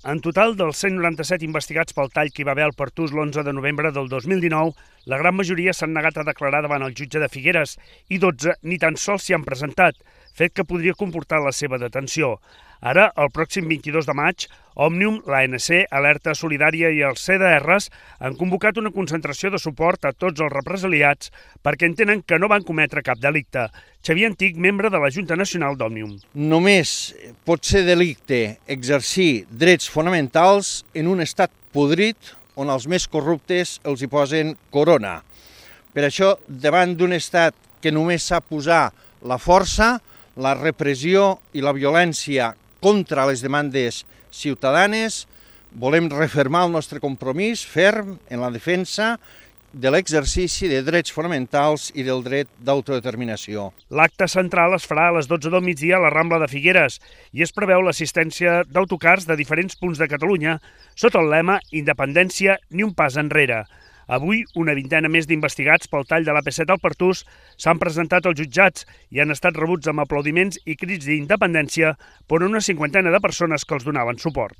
En total, dels 197 investigats pel tall que hi va haver al Pertús l'11 de novembre del 2019, la gran majoria s'han negat a declarar davant el jutge de Figueres i 12 ni tan sols s'hi han presentat, fet que podria comportar la seva detenció. Ara, el pròxim 22 de maig, Òmnium, l'ANC, Alerta Solidària i els CDRs han convocat una concentració de suport a tots els represaliats perquè entenen que no van cometre cap delicte. Xavier Antic, membre de la Junta Nacional d'Òmnium. Només pot ser delicte exercir drets fonamentals en un estat podrit on els més corruptes els hi posen corona. Per això, davant d'un estat que només sap posar la força, la repressió i la violència contra les demandes ciutadanes, volem refermar el nostre compromís ferm en la defensa de l'exercici de drets fonamentals i del dret d'autodeterminació. L'acte central es farà a les 12 del migdia a la Rambla de Figueres i es preveu l'assistència d'autocars de diferents punts de Catalunya sota el lema Independència ni un pas enrere. Avui, una vintena més d'investigats pel tall de l'AP7 al Pertús s'han presentat als jutjats i han estat rebuts amb aplaudiments i crits d'independència per una cinquantena de persones que els donaven suport.